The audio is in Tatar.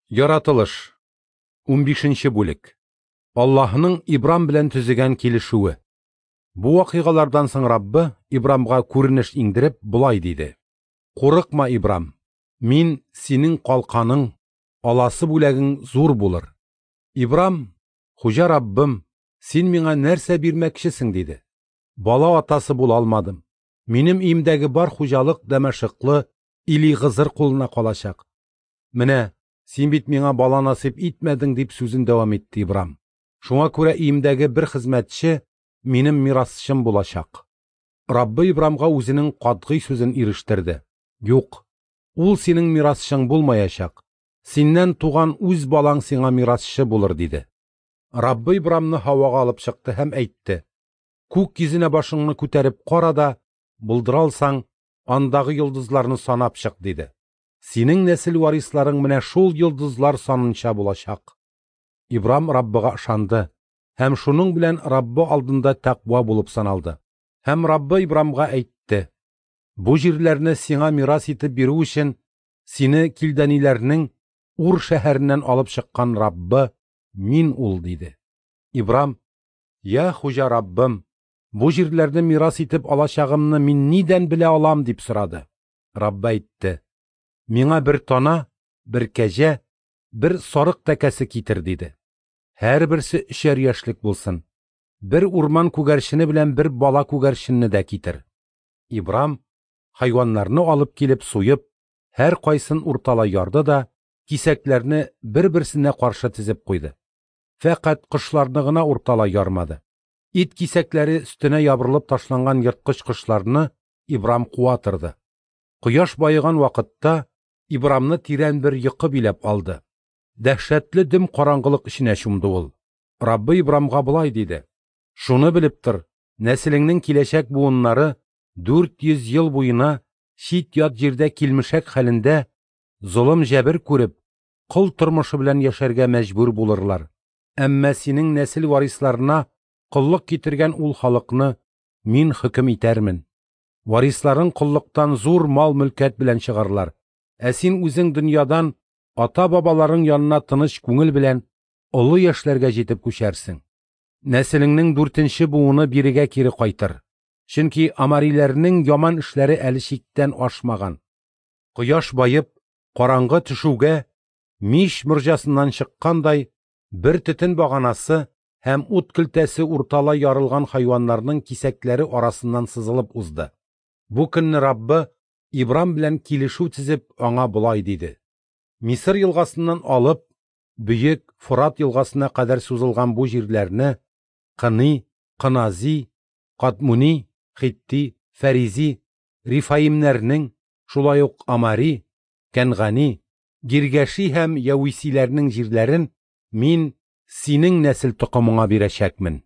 Яратылыш. 15нче бүлек. Аллаһының Ибрам белән төзегән килешүе. Бу вакыйгалардан соң Раббы Ибрамга күренеш иңдереп, болай диде: Курыкма, Ибрам. Мин синең калканың, аласы бүләгең зур булыр. Ибрам: Хуҗа Раббым, син миңа нәрсә бирмәкчесең? диде. Бала атасы була алмадым. Минем өемдәге бар хуҗалык Дәмәшыклы Илигызыр кулына калачак. Менә син бит миңа бала насыйп итмәдең, дип сүзен дәвам итте Ибрам. Шуңа күрә өемдәге бер хезмәтче минем мирасчым булачак. Раббы Ибрамга үзенең катгый сүзен ирештерде. Юк, ул синең мирасчың булмаячак. Синнән туган үз балаң сиңа мирасчы булыр, диде. Раббы Ибрамны һавага алып чыкты һәм әйтте: Күк йөзенә башыңны күтәреп кара да, булдыра алсаң, андагы йолдызларны санап чык, диде. Синең нәсел варисларың менә шул йолдызлар санынча булачак. Ибрам Раббыга ышанды һәм шуның белән Раббы алдында тәкъва булып саналды. Һәм Раббы Ибрамга әйтте: Бу җирләрне сиңа мирас итеп бирү өчен сине килдәниләрнең Ур шәһәреннән алып чыккан Раббы мин ул, диде. Ибрам: Я Хуҗа Раббым, бу җирләрне мирас итеп алачагымны мин нидән белә алам, дип сорады. Раббы әйтте: Миңа бер тана, бер кәҗә, бер сарык тәкәсе китер, диде. Һәрберсе 3 яшьлек булсын. Бер урман күгәрчене белән бер бала күгәрченне дә китер. Ибрам хайваннарны алып килеп суеп, һәр кайсын урталай ярды да, кисәкләрне бер-берсенә каршы тезеп куйды. Фәкать кошларны гына урталай ярмады. Ит кисәкләре өстенә ябырылып ташланган ерткыч кошларны Ибрам куа торды. Кояш баеган вакытта Ибрамны тирән бер йокы биләп алды. Дәһшәтле дөм караңгылык эченә чумды ул. Раббы Ибрамга болай диде: Шуны белеп тор, нәселеңнең киләчәк буыннары 400 ел буена чит-ят җирдә килмешәк хәлендә золым җәбер күреп, кол тормышы белән яшәргә мәҗбүр булырлар. Әмма синең нәсел варисларына коллык китергән ул халыкны мин хөкем итәрмен. Варисларың коллыктан зур мал-мөлкәт белән чыгарлар. Ә син үзең дөньядан ата-бабаларың янына тыныч күңел белән олы яшьләргә җитеп күчәрсең. Нәселеңнең 4нче буыны бирегә кире кайтыр. Чөнки амариләрнең яман эшләре әле чиктән ашмаган. Кояш баеп, караңгы төшүгә, мич морҗасыннан чыккандай бер төтен баганасы һәм ут көлтәсе урталай ярылган хайваннарның кисәкләре арасыннан сызылып узды. Бу көнне Раббы Ибрам белән килешү төзеп, аңа болай диде: Мисыр елгасыннан алып, бөек Форат елгасына кадәр сузылган бу җирләрне Кыни, Кынази, Кадмуни, Хитти, Фәризи, Рифаимнәрнең, шулай ук Амари, Кәнгани, Гиргәши һәм Яуисиләрнең җирләрен мин синең нәсел токымыңа бирәчәкмен.